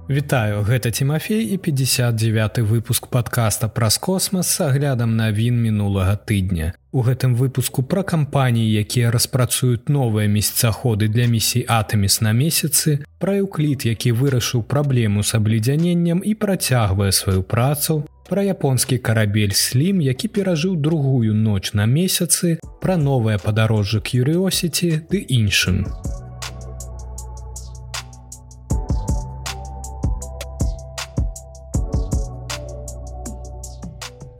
Вітаю, гэта Тимофей і 59-й выпуск падкаста праз космас з аглядам навін мінулага тыдня. У гэтым выпуску пра кампаніі, якія распрацуюць новыя месяцаходы для місій Артеміс на месяцы, пра Euclid, які вырашыў праблему з абледзяненнем і працягвае сваю працу, пра японскі карабель Slim, які перажыў другую ноч на месяцы, пра новае падарожжа Curiosity ды іншым.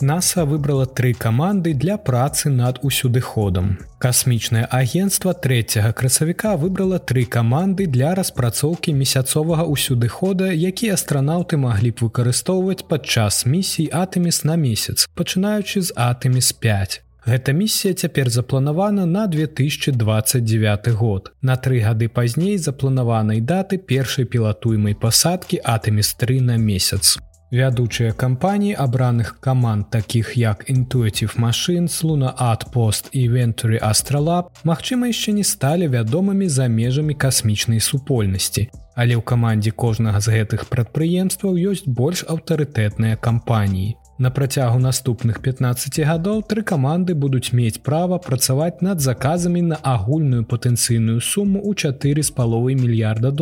НАСА выбрала 3 каманды для працы над усюдыходам. Касмічнае агенцтва 3 красавіка выбрала 3 каманды для распрацоўкі месяцовага усюдыхода, які астранаўты маглі б выкарыстоўваць падчас місій Артеміс на месяц, пачынаючы з Артеміс 5. Гэта місія цяпер запланавана на 2029 год. На 3 гады пазней запланаванай даты першай пілатуемай пасадкі Артеміс 3 на месяц. Вядучыя кампаніі абраных каманд, такіх як Intuitive Machines, Lunar Outpost і Venturi Astrolab, магчыма, яшчэ не сталі вядомымі за межамі касмічнай супольнасці. Але ў камандзе кожнага з гэтых прадпрыемстваў ёсць больш аўтарытэтныя кампаніі. На працягу наступных 15 гадоў 3 каманды будуць мець права працаваць над заказамі на агульную патэнцыйную суму ў $4,5 мільярда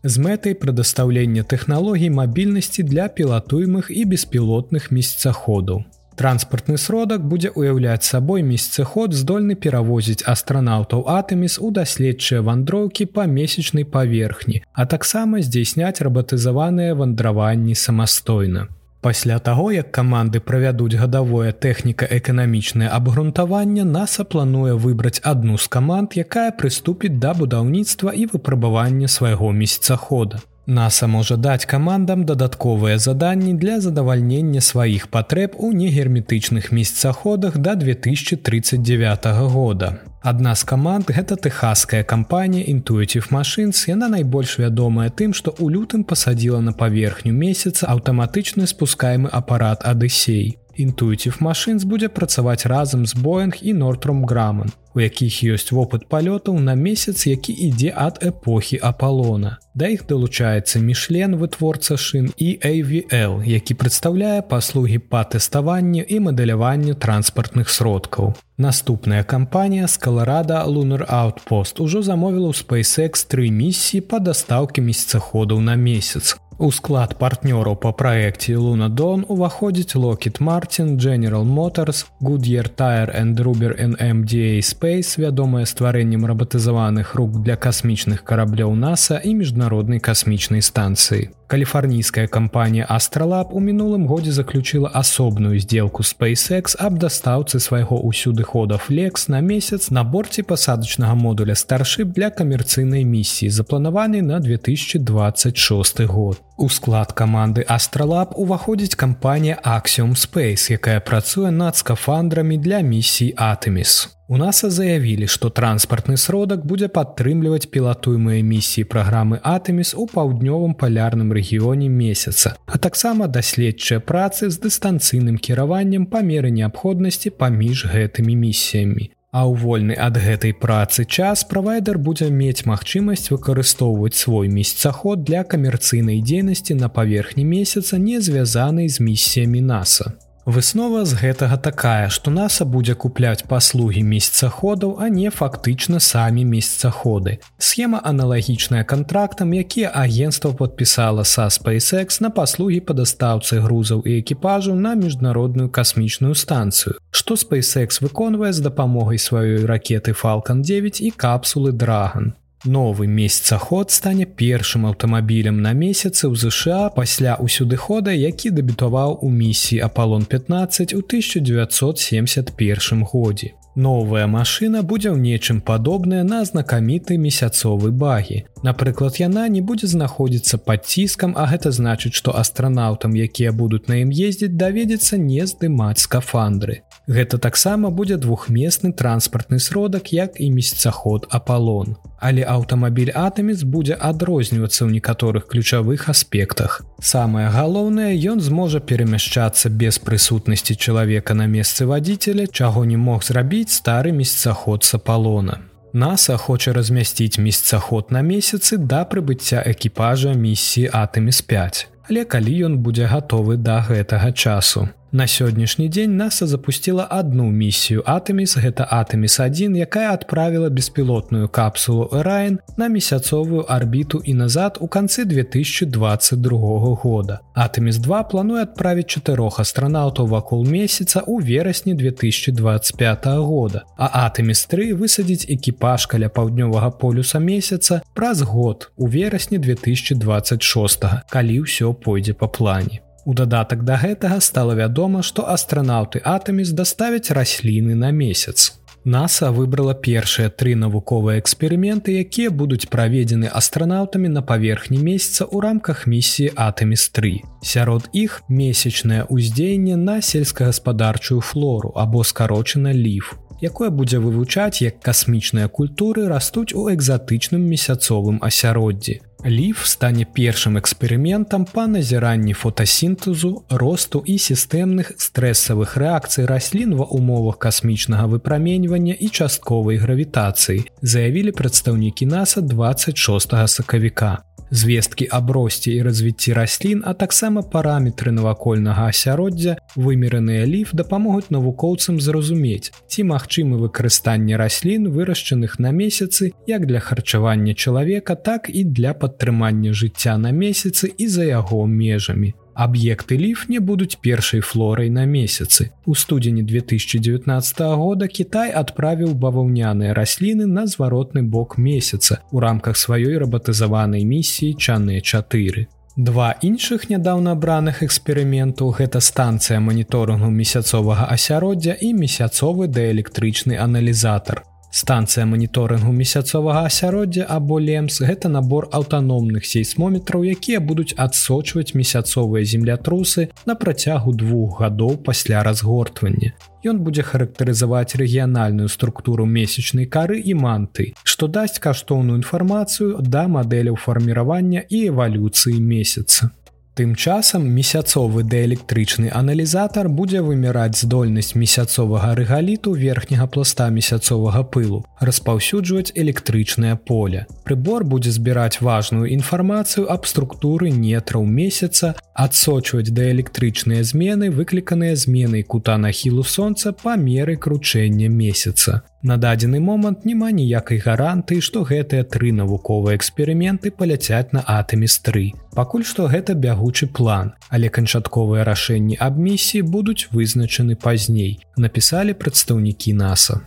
з мэтай прадастаўлення тэхналогій мабільнасці для пілатуемых і беспілотных месяцаходаў. Транспартны сродак будзе ўяўляць сабой месяцаход, здольны перавозіць астранаўтаў Артеміс у даследчыя вандроўкі па месячнай паверхні, а таксама здзейсняць рабатызаваныя вандраванні самастойна. Пасля таго, як каманды правядуць гадавое тэхніка-эканамічнае абгрунтаванне, НАСА плануе выбраць адну з каманд, якая прыступіць да будаўніцтва і выпрабавання свайго месяцахода. НАСА можа даць камандам дадатковыя заданні для задавальнення сваіх патрэб у негерметычных месяцаходах да 2039 года. Адна з каманд – гэта тэхаская кампанія Intuitive Machines. Яна найбольш вядомая тым, што ў лютым пасадзіла на паверхню месяца аўтаматычны спускаемы апарат Адысей. Intuitive Machines будзе працаваць разам з Boeing і Northrop Grumman, у якіх ёсць вопыт палётаў на месяц, які ідзе ад эпохі Апалона. Да іх далучаецца Michelin, вытворца шын, і AVL, які прадстаўляе паслугі па тэставанню і мадэляванню транспартных сродкаў. Наступная кампанія з Colorado Lunar Outpost ужо замовіла ў SpaceX 3 місіі па дастаўкі месяцаходаў на месяц. У склад партнёраў па праекце Luna Dawn уваходзіць Lockheed Martin, General Motors, Goodyear Tire & Rubber and MDA Space, вядомая стварэннем рабатызаваных рук для касмічных караблёў НАСА і міжнароднай касмічнай станцыі. Каліфарнійская кампанія Astrolab у мінулым годзе заключыла асобную здзелку SpaceX аб дастаўцы свайго ўсюдыхода Flex на месяц на борце пасадачнага модуля Starship для камерцыйнай місіі, запланаванай на 2026 год. У склад каманды Astrolab уваходзіць кампанія Axiom Space, якая працуе над скафандрамі для місій Артеміс. У НАСА заявілі, што транспартны сродак будзе падтрымліваць пілатуемыя місіі праграмы Артеміс у паўднёвым палярным рэгіёне месяца, а таксама даследчыя працы з дыстанцыйным кіраваннем па меры неабходнасці паміж гэтымі місіямі. А ў вольны ад гэтай працы час правайдер будзе мець магчымасць выкарыстоўваць свой месяцаход для камерцыйнай дзейнасці на паверхні месяца, не звязанай з місіямі НАСА. Выснова з гэтага такая, што НАСА будзе купляць паслугі месяцаходаў, а не фактычна самі месяцаходы. Схема аналагічная кантрактам, якія агенцтва падпісала са SpaceX на паслугі па дастаўцы грузаў і экіпажаў на міжнародную касмічную станцыю, што SpaceX выконвае з дапамогай сваёй ракеты Falcon 9 і капсулы Dragon. Новы месяцаход стане першым аўтамабілем на месяцы ў ЗША пасля ўсюдыхода, які дэбютаваў у місіі Апалон-15 у 1971 годзе. Новая машына будзе ў нечым падобная на знакаміты месяцовы багі. Напрыклад, яна не будзе знаходзіцца пад ціскам, а гэта значыць, што астранаўтам, якія будуць на ім ездзіць, даведзецца не здымаць скафандры. Гэта таксама будзе двухмесны транспартны сродак, як і месяцаход Апалон. Але аўтамабіль Артеміс будзе адрознівацца ў некаторых ключавых аспектах. Самае галоўнае, ён зможа перамяшчацца без прысутнасці чалавека на месцы вадзіцеля, чаго не мог зрабіць стары месяцаход з Апалона. НАСА хоча размясціць месяцаход на месяцы да прыбыцця экіпажа місіі Артэміс-5, але калі ён будзе гатовы да гэтага часу. На сённяшні дзень НАСА запусціла адну місію Артэміс, гэта Артэміс-1, якая адправіла беспілотную капсулу Orion на месяцовую арбіту і назад у канцы 2022 года. Артэміс-2 плануе адправіць 4 астранаўтаў вакол месяца ў верасні 2025 года, а Артэміс-3 высадзіць экіпаж каля паўднёвага полюса месяца праз год у верасні 2026, калі ўсё пойдзе па плане. У дадатак да гэтага стала вядома, што астранаўты Артэміс даставяць расліны на месяц. НАСА выбрала першыя 3 навуковыя эксперыменты, якія будуць праведзены астранаўтамі на паверхні месяца ў рамках місіі Артэміс-3. Сярод іх месячнае ўздзеянне на сельскагаспадарчую флору або скарочана LEAF, якое будзе вывучаць, як касмічныя культуры растуць у экзатычным месяцовым асяроддзі. LEAF стане першым эксперыментам па назіранні фотасінтэзу, росту і сістэмных стрэсавых рэакцый раслін ва ўмовах касмічнага выпраменьвання і частковай гравітацыі, заявілі прадстаўнікі НАСА 26 сакавіка. Звесткі аб росце і развіцці раслін, а таксама параметры навакольнага асяроддзя, вымераныя LEAF дапамогуць навукоўцам зразумець, ці магчымы выкарыстанне раслін, вырашчаных на месяцы, як для харчавання чалавека, так і для падтрымання жыцця на месяцы і за яго межамі. Аб'екты LEAF не будуць першай флорай на месяцы. У студзені 2019 года Кітай адправіў баваўняныя расліны на зваротны бок месяца ў рамках сваёй рабатызаванай місіі Чанэ-4. 2 іншых нядаўна абраных эксперыментаў – гэта станцыя маніторынгу месяцовага асяроддзя і месяцовы дыэлектрычны аналізатар. Станцыя маніторынгу месяцовага асяроддзя або LEMS – гэта набор аўтаномных сейсмометраў, якія будуць адсочваць месяцовыя землятрусы на працягу 2 гадоў пасля разгортвання. Ён будзе характарызаваць рэгіянальную структуру месячнай кары і манты, што дасць каштоўную інфармацыю да мадэляў фарміравання і эвалюцыі месяца. Тым часам месяцовы дыэлектрычны аналізатар будзе вымераць здольнасць месяцовага рэгаліту верхняга пласта месяцовага пылу, распаўсюджваць электрычнае поле. Прыбор будзе збіраць важную інфармацыю аб структуры нетраў месяца, адсочваць дыэлектрычныя змены, выкліканыя зменай кута нахілу сонца па меры кручэння месяца. На дадзены момант няма ніякай гарантыі, што гэтыя 3 навуковыя эксперыменты паляцяць на Артэміс-3. Пакуль што гэта бягучы план, але канчатковыя рашэнні аб місіі будуць вызначаны пазней, напісалі прадстаўнікі НАСА.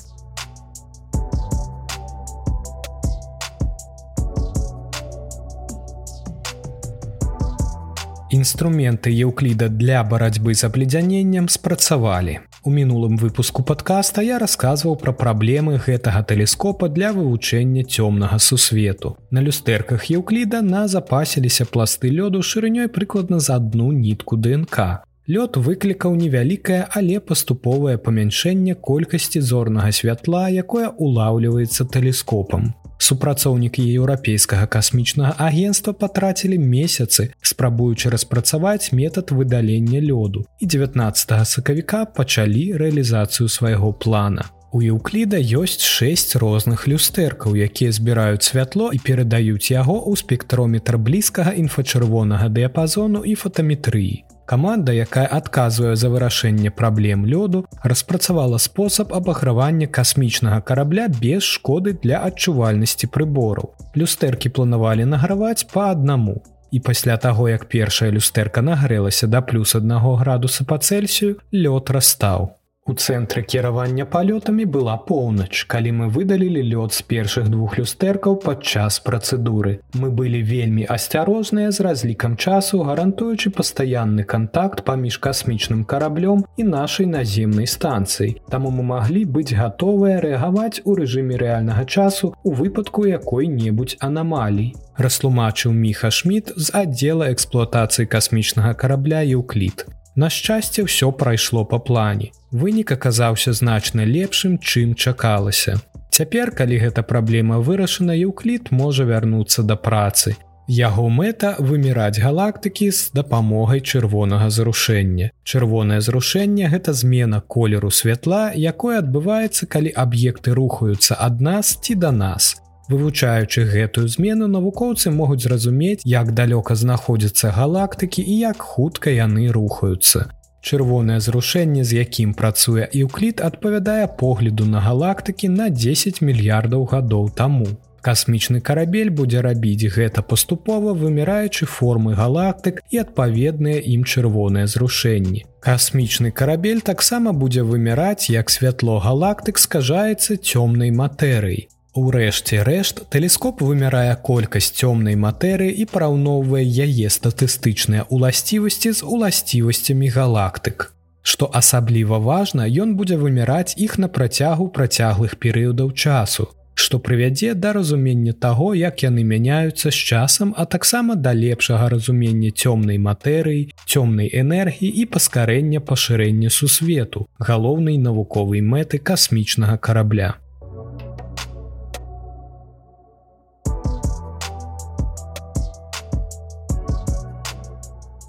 Інструменты Еўкліда для барацьбы з абледзяненнем спрацавалі. У мінулым выпуску падкаста я расказваў пра праблемы гэтага тэлескопа для вывучэння цёмнага сусвету. На люстэрках Еўкліда назапасіліся пласты лёду шырынёй прыкладна за 1 нітку ДНК. Лёд выклікаў невялікае, але паступовае памяншэнне колькасці зорнага святла, якое улаўліваецца тэлескопам. Супрацоўнікі Еўрапейскага касмічнага агенцтва патрацілі месяцы, спрабуючы распрацаваць метад выдалення лёду, і 19 сакавіка пачалі рэалізацыю свайго плана. У Еўкліда ёсць 6 розных люстэркаў, якія збіраюць святло і перадаюць яго ў спектрометр блізкага інфачырвонага дыяпазону і фотаметрыі. Каманда, якая адказвае за вырашэнне праблем лёду, распрацавала спосаб абагравання касмічнага карабля без шкоды для адчувальнасці прыбораў. Люстэркі планавалі награваць па аднаму. І пасля таго, як першая люстэрка нагрэлася да +1 градуса па Цельсію, лёд растаў. У цэнтры кіравання палётамі была поўнач, калі мы выдалілі лёд з першых 2 люстэркаў падчас працэдуры. Мы былі вельмі асцярожныя з разлікам часу, гарантуючы пастаянны кантакт паміж касмічным караблём і нашай наземнай станцыяй. Таму мы маглі быць гатовыя рэагаваць у рэжыме рэальнага часу у выпадку якой-небудзь анамалій, растлумачыў Міха Шмідт з аддзела эксплуатацыі касмічнага карабля «Еўклід». На шчасце, ўсё прайшло па плане. Вынік аказаўся значна лепшым, чым чакалася. Цяпер, калі гэта праблема вырашана, Еўклід можа вярнуцца да працы. Яго мэта выміраць галактыкі з дапамогай чырвонага зрушэння. Чырвонае зрушэнне – гэта змена колеру святла, якое адбываецца, калі аб'екты рухаюцца ад нас ці да нас. Вывучаючы гэтую змену, навукоўцы могуць зразумець, як далёка знаходзяцца галактыкі і як хутка яны рухаюцца. Чырвонае зрушэнне, з якім працуе Еўклід, адпавядае погляду на галактыкі на 10 мільярдаў гадоў таму. Касмічны карабель будзе рабіць гэта паступова, выміраючы формы галактык і адпаведныя ім чырвоныя зрушэнні. Касмічны карабель таксама будзе выміраць, як святло галактык скажаецца цёмнай матэрыяй. Урэшце рэшт, тэлескоп вымярае колькасць цёмнай матэрыі і параўноўвае яе статыстычныя ўласцівасці з уласцівасцямі галактык. Што асабліва важна, ён будзе вымяраць іх на працягу працяглых перыядаў часу, што прывядзе да разумення таго, як яны мяняюцца з часам, а таксама да лепшага разумення цёмнай матэрыі, цёмнай энергіі і паскарэння пашырэння сусвету, галоўнай навуковай мэты касмічнага карабля.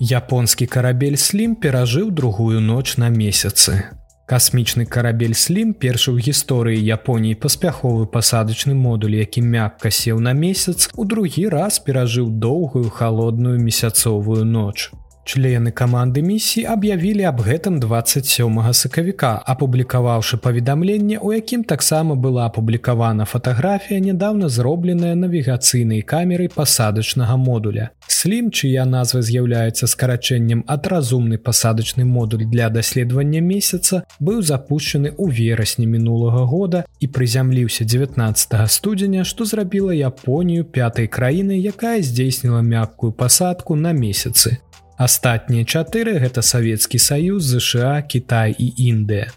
Японскі карабель Слім перажыў другую ноч на месяцы. Касмічны карабель Слім, першы ў гісторыі Японіі паспяховы пасадачны модуль, які мякка сеў на месяц, у другі раз перажыў доўгую халодную месяцовую ноч. Члены каманды місіі аб'явілі аб гэтым 27 сакавіка, апублікаваўшы паведамленне, у якім таксама была апублікавана фатаграфія, нядаўна зробленая навігацыйнай камерай пасадачнага модуля. Слім, чыя назва з'яўляецца скарачэннем ад разумны пасадачны модуль для даследавання месяца, быў запушчаны ў верасні мінулага года і прызямліўся 19 студзеня, што зрабіла Японію пятай краінай, якая здзейсніла мяккую пасадку на месяцы. Астатнія 4 – гэта Савецкі Саюз, ЗША, Кітай і Індыя.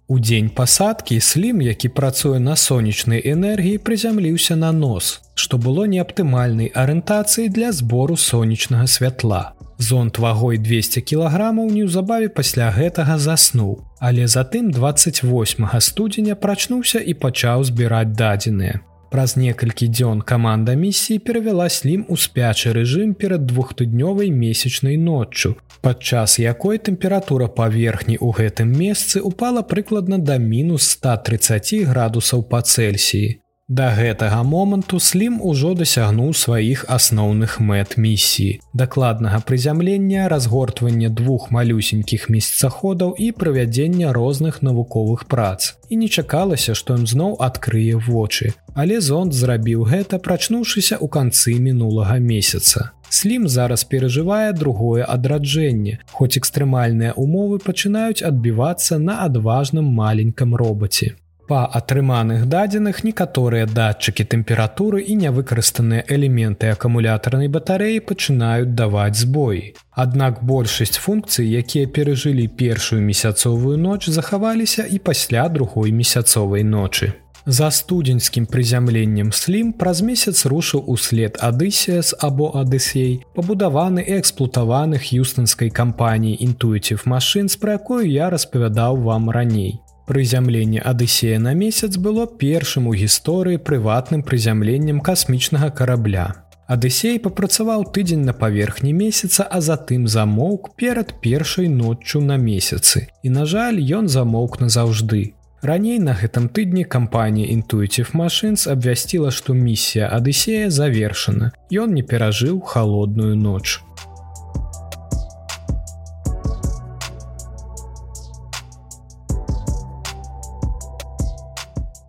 У дзень пасадкі Слім, які працуе на сонечнай энергіі, прызямліўся на нос, што было неаптымальнай арыентацыяй для збору сонечнага святла. Зонд вагой 200 кілаграмаў неўзабаве пасля гэтага заснуў, але затым 28 студзеня прачнуўся і пачаў збіраць дадзеныя. Праз некалькі дзён каманда місіі перавяла Слім у спячы рэжым перад двухтыднёвай месячнай ноччу, падчас якой тэмпература паверхні ў гэтым месцы упала прыкладна да мінус 130 градусаў па Цельсіі. Да гэтага моманту Слім ужо дасягнуў сваіх асноўных мэт місіі – дакладнага прызямлення, разгортвання двух малюсенькіх месяцаходаў і правядзення розных навуковых прац. І не чакалася, што ён зноў адкрые вочы. Але зонд зрабіў гэта, прачнуўшыся ў канцы мінулага месяца. Слім зараз перажывае другое адраджэнне, хоць экстрэмальныя ўмовы пачынаюць адбівацца на адважным маленькам робаце. Па атрыманых дадзеных некаторыя датчыкі тэмпературы і нявыкарыстаныя элементы акумулятарнай батарэі пачынаюць даваць збоі. Аднак большасць функцый, якія перажылі першую месяцовую ноч, захаваліся і пасля другой месяцовай ночы. За студзеньскім прызямленнем Слім праз месяц рушыў услед Адысеас або Адысей, пабудаваны і эксплуатаваны х'юстонскай кампаніяй Intuitive Machines, пра якую я распавядаў вам раней. Прызямленне Адысея на месяц было першым у гісторыі прыватным прызямленнем касмічнага карабля. Адысей папрацаваў тыдзень на паверхні месяца, а затым замоўк перад першай ноччу на месяцы. І, на жаль, ён замоўк назаўжды. Раней на гэтым тыдні кампанія Intuitive Machines абвясціла, што місія Адысея завершана. Ён не перажыў халодную ноч.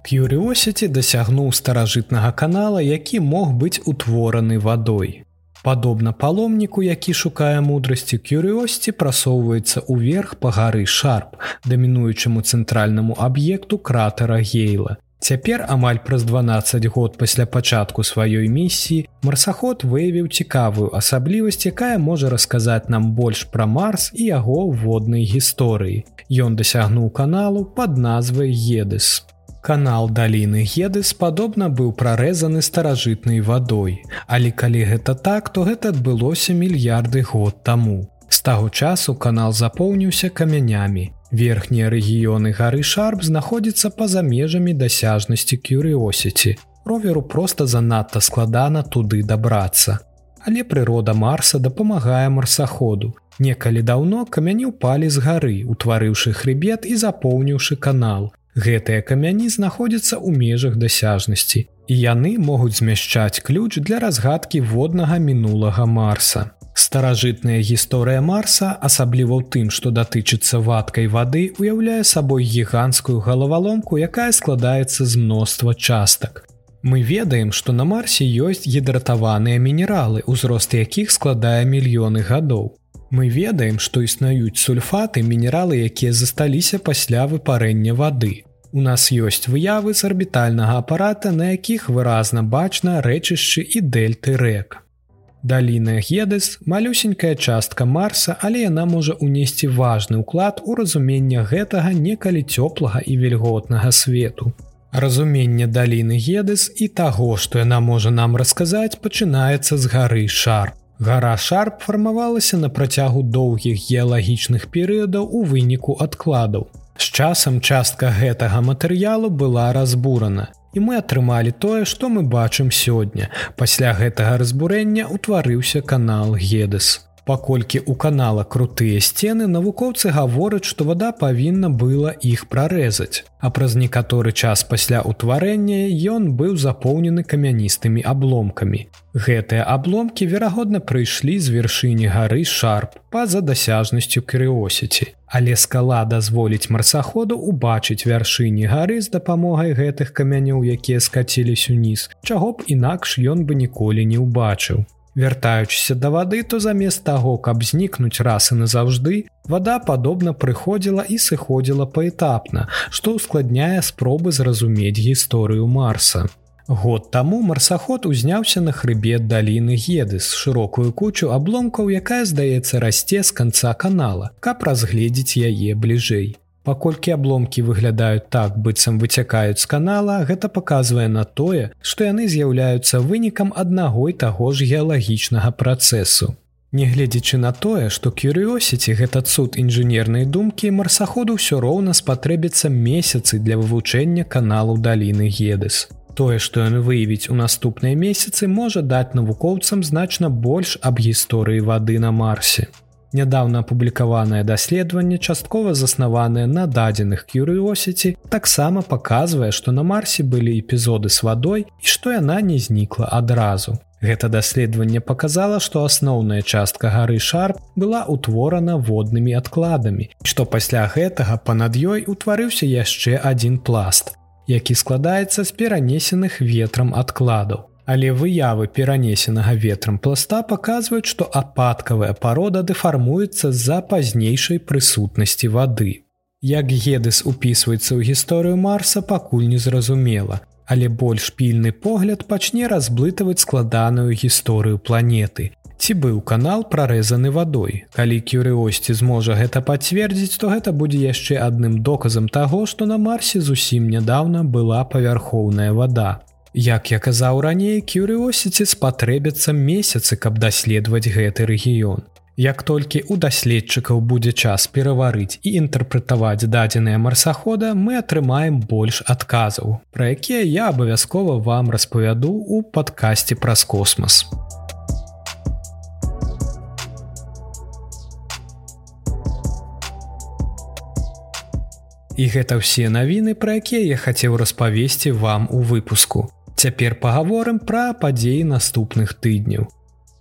Curiosity дасягнуў старажытнага канала, які мог быць утвораны вадой. Падобна паломніку, які шукае мудрасці, Curiosity прасоўваецца ўверх па гары Шарп, дамінуючаму цэнтральнаму аб'екту кратера Гейла. Цяпер, амаль праз 12 год пасля пачатку сваёй місіі, марсаход выявіў цікавую асаблівасць, якая можа расказаць нам больш пра Марс і яго воднай гісторыі. Ён дасягнуў каналу пад назвай Гедес. Канал даліны Гедес падобна быў прарэзаны старажытнай вадой, але калі гэта так, то гэта адбылося мільярды год таму. З таго часу канал запоўніўся камянямі. Верхнія рэгіёны гары Шарп знаходзяцца па-за межамі дасяжнасці Curiosity. Роверу проста занадта складана туды дабрацца. але прырода Марса дапамагае марсаходу. Некалі даўно камяні ўпалі з гары, утварыўшы хрыбет і запоўніўшы канал. Гэтыя камяні знаходзяцца ў межах дасяжнасці, і яны могуць змяшчаць ключ для разгадкі воднага мінулага Марса. Старажытная гісторыя Марса, асабліва ў тым, што датычыцца вадкай вады, уяўляе сабой гіганцкую галаваломку, якая складаецца з мноства частак. Мы ведаем, што на Марсе ёсць гідратаваныя мінералы, узрост якіх складае мільёны гадоў. Мы ведаем, што існуюць сульфаты, мінералы, якія засталіся пасля выпарэння вады. У нас ёсць выявы з арбітальнага апарата, на якіх выразна бачна рэчышчы і дэльты рэк. Даліна Гедес – малюсенькая частка Марса, але яна можа ўнесці важны ўклад у разуменне гэтага некалі цёплага і вільготнага свету. Разуменне даліны Гедес і таго, што яна можа нам расказаць, пачынаецца з гары Шарп. Гара Шарп фармавалася на працягу доўгіх геалагічных перыядаў у выніку адкладаў. З часам частка гэтага матэрыялу была разбурана, і мы атрымалі тое, што мы бачым сёння. Пасля гэтага разбурэння ўтварыўся канал Гедес. Паколькі ў канала крутыя сцены, навукоўцы гавораць, што вада павінна была іх прарэзаць, а праз некаторы час пасля ўтварэння ён быў запоўнены камяністымі абломкамі. Гэтыя абломкі, верагодна, прыйшлі з вяршыні гары Шарп па-за дасяжнасцю Curiosity. Але скала дазволіць марсаходу ўбачыць вяршыні гары з дапамогай гэтых камянёў, якія скаціліся ўніз, чаго б інакш ён бы ніколі не ўбачыў. Вяртаючыся да вады, то замест таго, каб знікнуць раз і назаўжды, вада падобна прыходзіла і сыходзіла паэтапна, што ўскладняе спробы зразумець гісторыю Марса. Год таму марсаход узняўся на хрыбет даліны Гедес, шырокую кучу абломкаў, якая, здаецца, расце з канца канала, каб разгледзець яе бліжэй. Паколькі абломкі выглядаюць так, быццам выцякаюць з канала, гэта паказвае на тое, што яны з'яўляюцца вынікам аднаго і таго ж геалагічнага працэсу. Нягледзячы на тое, што Curiosity – гэта цуд інжынернай думкі, марсаходу ўсё роўна спатрэбіцца месяцы для вывучэння каналу даліны Гедес. Тое, што ён выявіць у наступныя месяцы, можа даць навукоўцам значна больш аб гісторыі вады на Марсе. Нядаўна апублікаванае даследаванне, часткова заснаванае на дадзеных Curiosity, таксама паказвае, што на Марсе былі эпізоды з вадой і што яна не знікла адразу. Гэта даследаванне паказала, што асноўная частка гары Шарп была ўтворана воднымі адкладамі, што пасля гэтага панад ёй утварыўся яшчэ адзін пласт, які складаецца з перанесеных ветрам адкладаў. Але выявы перанесенага ветрам пласта паказваюць, што ападкавая парода дэфармуецца з-за пазнейшай прысутнасці вады. Як Гедес упісваецца ў гісторыю Марса, пакуль не зразумела, але больш пільны погляд пачне разблытаваць складаную гісторыю планеты. Ці быў канал прарэзаны вадой? Калі Curiosity зможа гэта пацвердзіць, то гэта будзе яшчэ адным доказам таго, што на Марсе зусім нядаўна была павярхоўная вада. Як я казаў раней, Curiosity спатрэбяцца месяцы, каб даследаваць гэты рэгіён. Як толькі ў даследчыкаў будзе час пераварыць і інтэрпрэтаваць дадзеныя марсахода, мы атрымаем больш адказаў, пра якія я абавязкова вам распавяду ў падкасці праз космас. І гэта ўсе навіны, пра якія я хацеў распавесці вам у выпуску. Цяпер пагаворым пра падзеі наступных тыдняў.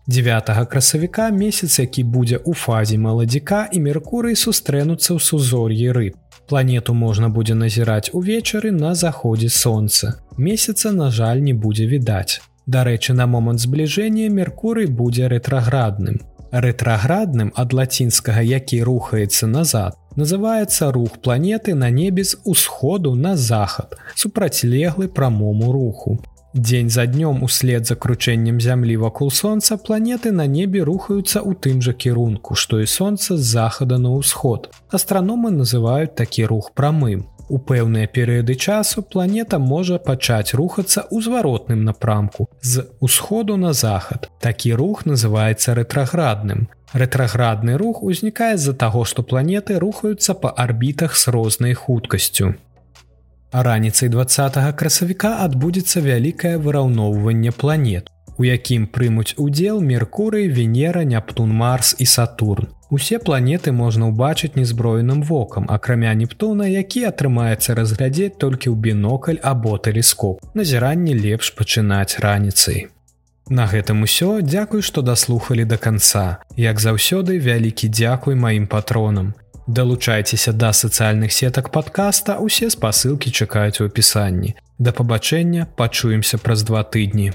9 красавіка месяц, які будзе ў фазе маладзіка, і Меркурый сустрэнуцца ў сузор'і рыб. Планету можна будзе назіраць увечары на заходзе сонца. Месяца, на жаль, не будзе відаць. Дарэчы, на момант збліжэння Меркурый будзе рэтраградным. Рэтраградным ад лацінскага «які рухаецца назад» называецца рух планеты на небе з усходу на захад, супрацьлеглы прамому руху. Дзень за днём услед за кручэннем зямлі вакол сонца планеты на небе рухаюцца ў тым жа кірунку, што і сонца з захада на ўсход. Астраномы называюць такі рух прамым. У пэўныя перыяды часу планета можа пачаць рухацца ў зваротным напрамку з усходу на захад. Такі рух называецца рэтраградным. Рэтраградны рух узнікае з-за таго, што планеты рухаюцца па арбітах з рознай хуткасцю. А раніцай 20 красавіка адбудзецца вялікае выраўноўванне планет. у якім прымуць удзел Меркурый, Венера, Нептун, Марс і Сатурн. Усе планеты можна ўбачыць незброеным вокам, акрамя Нептуна, які атрымаецца разглядзець толькі ў бінокль або тэлескоп. Назіранне лепш пачынаць раніцай. На гэтым усё, дзякуй, што даслухалі да канца. Як заўсёды, вялікі дзякуй маім патронам. Далучайцеся да сацыяльных сетак падкаста, усе спасылкі чакаюць у апісанні. Да пабачэння, пачуемся праз 2 тыдні.